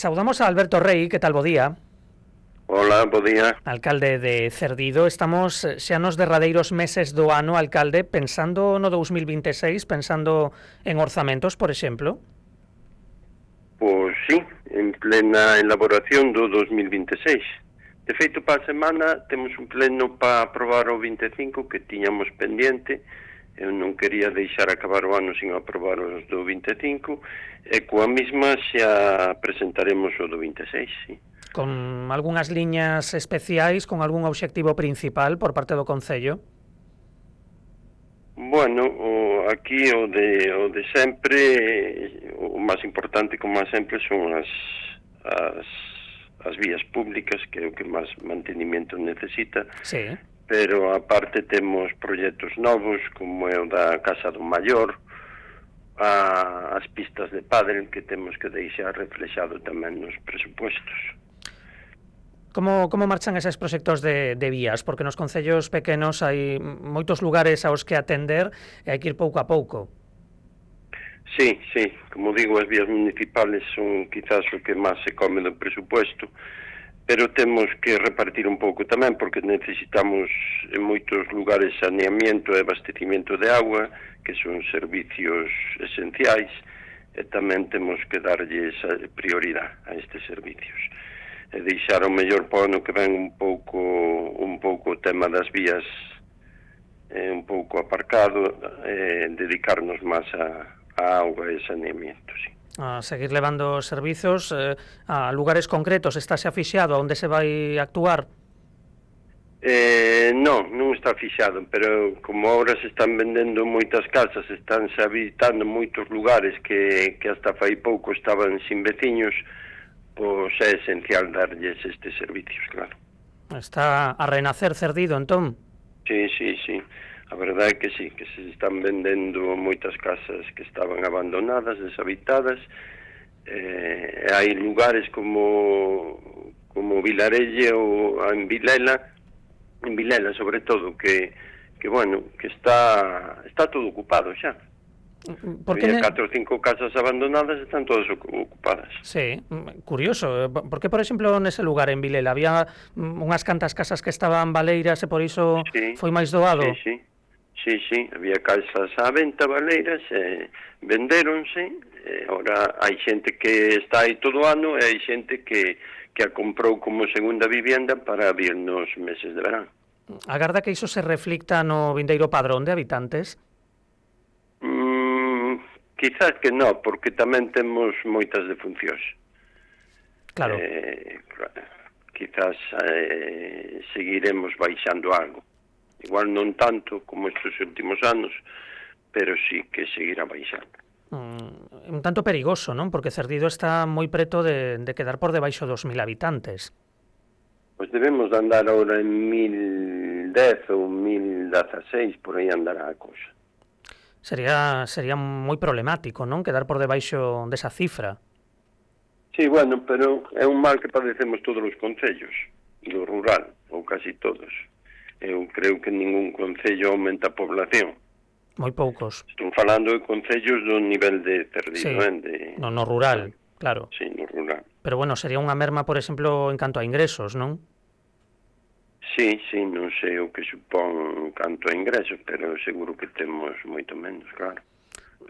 Saudamos a Alberto Rei, que tal, bo día? Hola, bo día. Alcalde de Cerdido. Estamos xa nos derradeiros meses do ano, alcalde, pensando no 2026, pensando en orzamentos, por exemplo. Pois sí, en plena elaboración do 2026. De feito, para a semana temos un pleno para aprobar o 25 que tiñamos pendiente. Eu non quería deixar acabar o ano sin aprobar os do 25 e coa mesma xa presentaremos o do 26, sí. Con algunhas liñas especiais, con algún obxectivo principal por parte do Concello? Bueno, aquí o de sempre, o máis importante, como sempre, son as vías públicas, que é o que máis mantenimento necesita. Sí. Pero aparte temos proxectos novos, como é o da Casa do Maior, as pistas de pádel, que temos que deixar reflexado tamén nos presupuestos. Como marchan eses proxectos de vías? Porque nos concellos pequenos hai moitos lugares aos que atender e hai que ir pouco a pouco. Sí, como digo, as vías municipales son quizás o que máis se come do presupuesto, pero temos que repartir un pouco tamén, porque necesitamos en moitos lugares saneamiento e abastecimiento de agua, que son servicios esenciais, e tamén temos que darlles prioridade a estes servicios. E deixar o mellor para o ano que ven un pouco o tema das vías un pouco aparcado, dedicarnos máis a auga e saneamiento, sí. A seguir levando servizos a lugares concretos. Está xa fixado a onde se vai actuar? Non está fixado, pero como ahora se están vendendo moitas casas, estánse habitando moitos lugares que hasta fai pouco estaban sin veciños, pois é esencial darlles estes servicios, claro. Está a renacer Cerdido, entón? Sí. A verdade é que sí, que se están vendendo moitas casas que estaban abandonadas, deshabitadas. Hai lugares como Vilarelle ou en Vilela sobre todo, que está todo ocupado xa. Había 4 ou 5 casas abandonadas, están todas ocupadas. Sí, curioso. Por que, por exemplo, nese lugar, en Vilela, había unhas cantas casas que estaban baleiras e por iso foi máis doado? Sí, había casas á venta baleiras, vendéronse, ora hai xente que está aí todo o ano e hai xente que a comprou como segunda vivienda para vir nos meses de verán. Agarda que iso se reflicta no vindeiro padrón de habitantes? Quizás que non, porque tamén temos moitas defuncións. Claro. Quizás seguiremos baixando algo. Igual non tanto como estes últimos anos, pero sí que seguirá baixando. Un tanto perigoso, non? Porque Cerdido está moi preto de quedar por debaixo dos 1000 habitantes. Pois debemos de andar ahora en 1010 ou 1016, por aí andará a cousa. Sería moi problemático, non? Quedar por debaixo desa cifra. Sí, bueno, pero é un mal que padecemos todos os concellos do rural, ou casi todos. Eu creo que ningún concello aumenta a población. Moi poucos. Estou falando de concellos do nivel de Cerdido, sí. No rural, claro. Sí, no rural. Pero bueno, sería unha merma, por exemplo, en canto a ingresos, non? Sí, non sei o que supón canto a ingresos, pero seguro que temos moito menos, claro,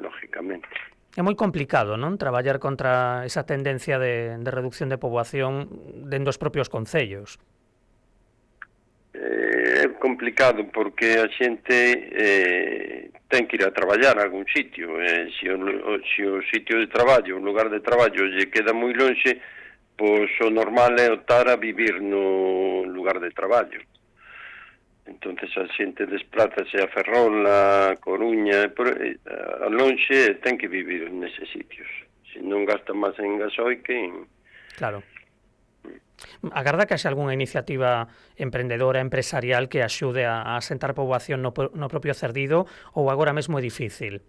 lógicamente. É moi complicado, non? Traballar contra esa tendencia de reducción de poboación dentro dos propios concellos. É complicado porque a xente ten que ir a traballar a algún sitio. Se o sitio de traballo, o lugar de traballo lle queda moi lonxe, pois o normal é optar a vivir no lugar de traballo. Entonces a xente desplázase a Ferrol, a Coruña, a lonxe, ten que vivir neses sitios. Se non gasta máis en gasoil que en... Claro. Agarda que haxe algunha iniciativa emprendedora, empresarial que axude a asentar poboación no propio Cerdido, ou agora mesmo é difícil?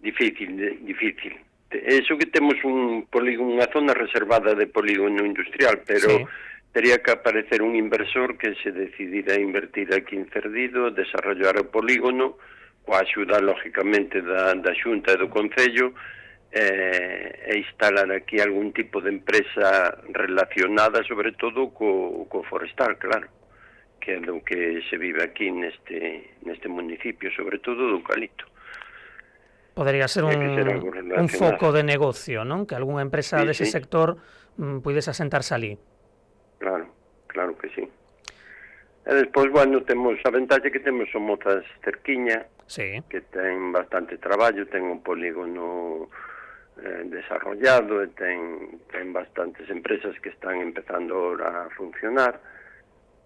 Difícil. Eso que temos unha zona reservada de polígono industrial, pero sí, tería que aparecer un inversor que se decidira a invertir aquí en Cerdido, desarrollar o polígono, coa axuda, lógicamente, da Xunta e do Concello, e instalar aquí algún tipo de empresa relacionada sobre todo co forestal, claro, que é do que se vive aquí neste municipio, sobre todo do eucalipto. Podría ser un foco de negocio, non? Que algunha empresa sí, dese sector puidese asentarse ali. Claro, claro que sí. E despois, bueno, temos a ventaxe que temos son mozas cerquiña, sí, que ten bastante traballo, ten un polígono desarrollado e ten bastantes empresas que están empezando ahora a funcionar,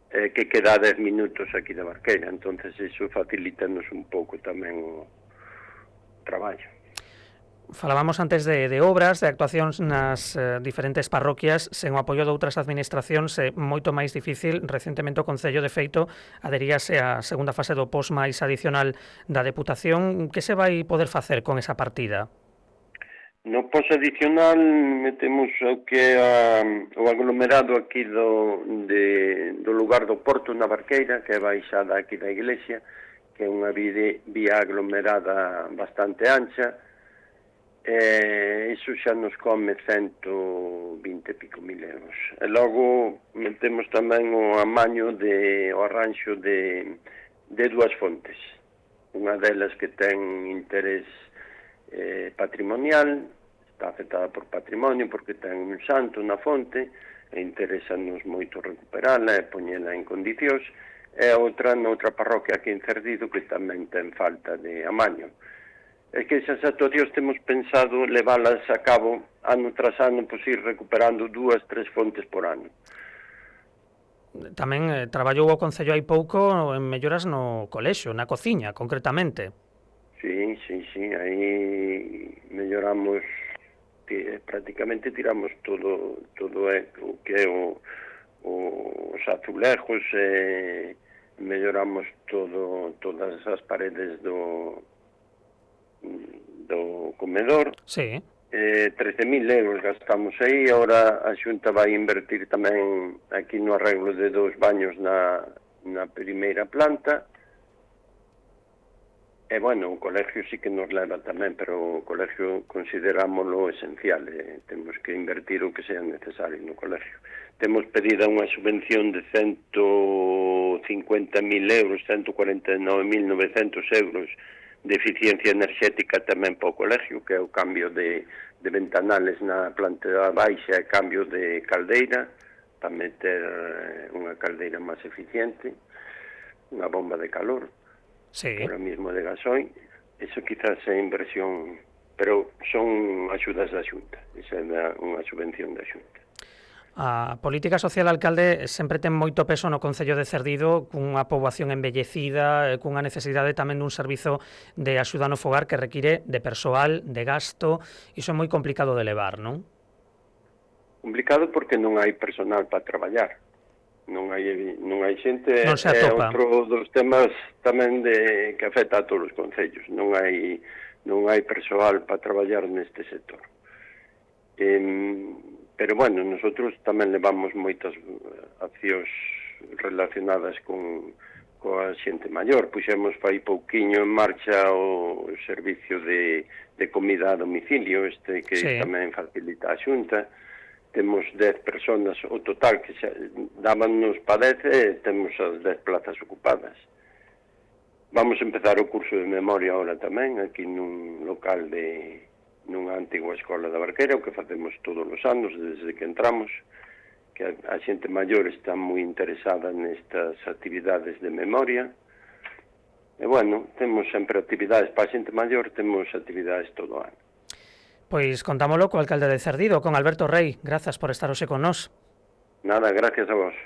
que queda 10 minutos aquí de Barqueira, entonces iso facilítanos un pouco tamén o traballo. Falábamos antes de obras, de actuacións nas diferentes parroquias, sen o apoio de outras administracións é moito máis difícil. Recentemente o Concello, de feito, aderíase á segunda fase do POS máis adicional da Deputación. Que se vai poder facer con esa partida? No POS adicional metemos o que o aglomerado aquí do lugar do Porto na Barqueira, que é baixada aquí da iglesia, que é unha vía aglomerada bastante ancha. Iso xa nos come 120 e pico mil euros. E logo metemos tamén o amaño o arranxo de dúas fontes. Unha delas que ten interés patrimonial, está afectada por patrimonio porque ten un santo na fonte e interesanos moito recuperala e poñela en condicións, e outra noutra parroquia aquí en Cerdido que tamén ten falta de amaño. É que esas actuacións temos pensado leválas a cabo ano tras ano, pois ir recuperando 2, 3 fontes por ano. Tamén traballou o Concello hai pouco en melloras no colexio, na cociña, concretamente. Sí, aí melloramos, prácticamente tiramos todo o que é os azulejos, melloramos todas as paredes do comedor. Sí. 13.000 euros gastamos aí. Ahora a Xunta vai invertir tamén aquí no arreglo de 2 baños na primeira planta. E, bueno, o colegio sí que nos leva tamén, pero o colegio considerámoslo esencial. Temos que invertir o que sea necesario no colegio. Temos pedida unha subvención de 150.000 euros, 149.900 euros de eficiencia enerxética tamén para o colegio, que é o cambio de ventanales na planta baixa e cambio de caldeira para meter unha caldeira máis eficiente, unha bomba de calor, sí, ahora mismo de gasoil. Eso quizás é inversión, pero son axudas da Xunta, esa é unha subvención da Xunta. A política social, alcalde, sempre ten moito peso no Concello de Cerdido, cunha poboación envellecida, cunha necesidade tamén dun servizo de axuda no fogar que require de persoal, de gasto. Iso é moi complicado de levar, non? Complicado porque non hai personal para traballar. Non hai xente. Non se atopa. É outro dos temas tamén que afecta a todos os concellos. Non hai persoal para traballar neste sector. Pero, bueno, nosotros tamén levamos moitas accións relacionadas coa xente maior. Puxemos fai pouquiño en marcha o servicio de comida a domicilio, que sí, tamén facilita a Xunta. Temos 10 personas, o total que dábanos para 10 e temos as 10 plazas ocupadas. Vamos a empezar o curso de memoria ahora tamén, aquí nun local nunha antigua escola da Barqueira, o que facemos todos os anos desde que entramos, que a xente maior está moi interesada nestas actividades de memoria. E, bueno, temos sempre actividades para a xente maior, temos actividades todo o ano. Pois contámolo co alcalde de Cerdido, con Alberto Rei. Grazas por estar hoxe con nós. Nada, gracias a vos.